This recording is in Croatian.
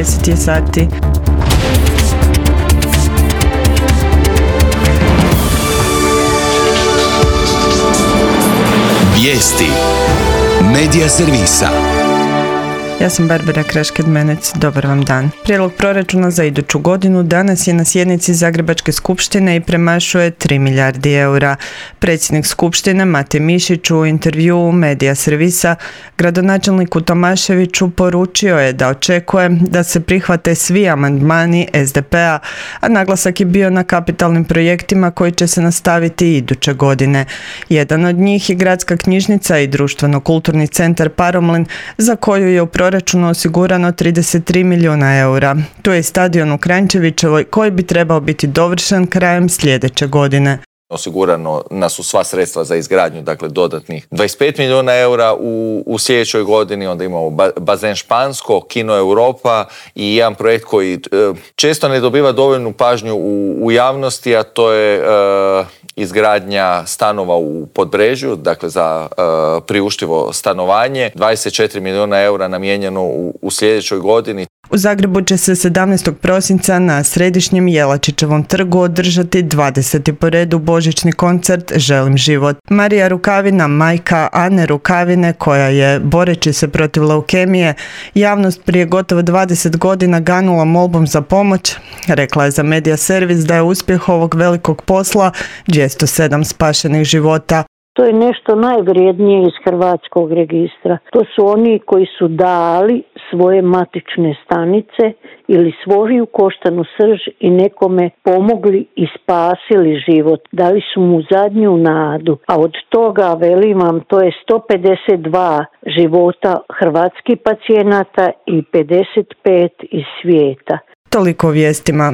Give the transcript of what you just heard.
10 je sati. Vijesti Medija servisa. Ja sam Barbara Krašked-Menec, dobar vam dan. Prijedlog proračuna za iduću godinu danas je na sjednici Zagrebačke skupštine i premašuje 3 milijardi eura. Predsjednik skupštine Mate Mišić u intervjuu Medija servisa gradonačelniku Tomaševiću poručio je da očekuje da se prihvate svi amandmani SDP-a, a naglasak je bio na kapitalnim projektima koji će se nastaviti iduće godine. Jedan od njih je gradska knjižnica i društveno-kulturni centar Paromlin, za koju je u proračunu osigurano 33 milijuna eura. Tu je i stadion u Kranjčevićevoj koji bi trebao biti dovršen krajem sljedeće godine. Osigurano su sva sredstva za izgradnju, dakle dodatnih 25 milijuna eura u sljedećoj godini. Onda imamo bazen Špansko, Kino Europa i jedan projekt koji često ne dobiva dovoljnu pažnju u javnosti, a to je izgradnja stanova u Podbrežju, dakle za priuštivo stanovanje. 24 milijuna eura namijenjeno u sljedećoj godini. U Zagrebu će se 17. prosinca na središnjem Jelačićevom trgu održati 20. po redu božićni koncert Želim život. Marija Rukavina, majka Ane Rukavine, koja je, boreći se protiv leukemije, javnost prije gotovo 20 godina ganula molbom za pomoć, rekla je za Medija servis da je uspjeh ovog velikog posla 207 spašenih života. To je nešto najvrijednije iz Hrvatskog registra. To su oni koji su dali svoje matične stanice ili svoju koštanu srž i nekome pomogli i spasili život. Dali su mu zadnju nadu. A od toga, velim vam, to je 152 života hrvatskih pacijenata i 55 iz svijeta. Toliko o vijestima.